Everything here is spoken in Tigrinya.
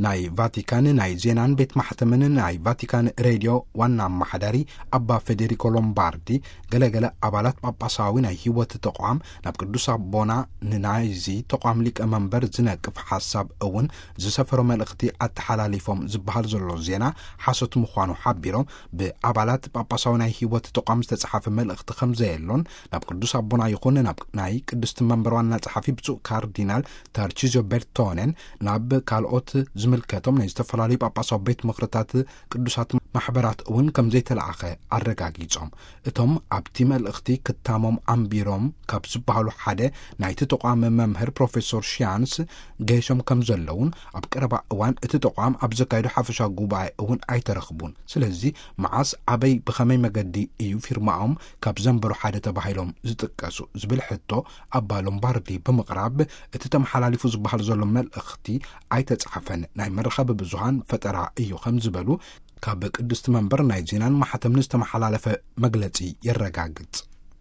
ናይ ቫቲካን ናይ ዜናን ቤት ማሕተምን ናይ ቫቲካን ሬድዮ ዋና ኣማሓዳሪ ኣባ ፌዴሪኮ ሎምባርዲ፣ ገለገለ ኣባላት ጳጳሳዊ ናይ ህይወት ተቋም ናብ ቅዱስ ኣቦና ንናይዚ ተቋም ሊቀ መንበር ዝነቅፍ ሓሳብ እውን ዝሰፈሮ መልእኽቲ ኣተሓላሊፎም ዝበሃል ዘሎ ዜና ሓሶት ምዃኑ ሓቢሮም፣ ብኣባላት ጳጳሳዊ ናይ ህይወት ተቋም ዝተጻሓፈ መልእኽቲ ከም ዘየሎን፣ ናብ ቅዱስ ኣቦና ይኹን ናብ ናይ ቅድስቲ መንበር ዋና ጸሓፊ ብፁዕ ካርዲናል ታርቺዚዮ ቤርቶኔን ናብ ካልኦት ዝምልከቶም ናይ ዝተፈላለዩ ጳጳሳዊ ቤት ምኽርታት ቅዱሳት ማሕበራት እውን ከም ዘይተለኣኸ ኣረጋጊጾም። እቶም ኣብቲ መልእኽቲ ክታሞም ኣንቢሮም ካብ ዝበሃሉ ሓደ ናይቲ ተቋም መምህር ፕሮፌሶር ሺያንስ ገይሾም ከም ዘለውን፣ ኣብ ቀረባ እዋን እቲ ተቋም ኣብ ዘካየዶ ሓፈሻዊ ጉባኤ እውን ኣይተረኽቡን። ስለዚ መዓስ፣ ኣበይ፣ ብኸመይ መገዲ እዩ ፊርማኦም ካብ ዘንበሩ ሓደ ተባሂሎም ዝጥቀሱ ዝብል ሕቶ ኣባ ሎምባርዲ ብምቕራብ፣ እቲ ተመሓላሊፉ ዝበሃል ዘሎ መልእኽቲ ኣይተጻሕፈን፣ ናይ መራኸቢ ብዙሃን ፈጠራ እዩ ከም ዝበሉ ካብ ቅድስቲ መንበር ናይ ዜናን ማሕተምን ዝተመሓላለፈ መግለጺ የረጋግጽ።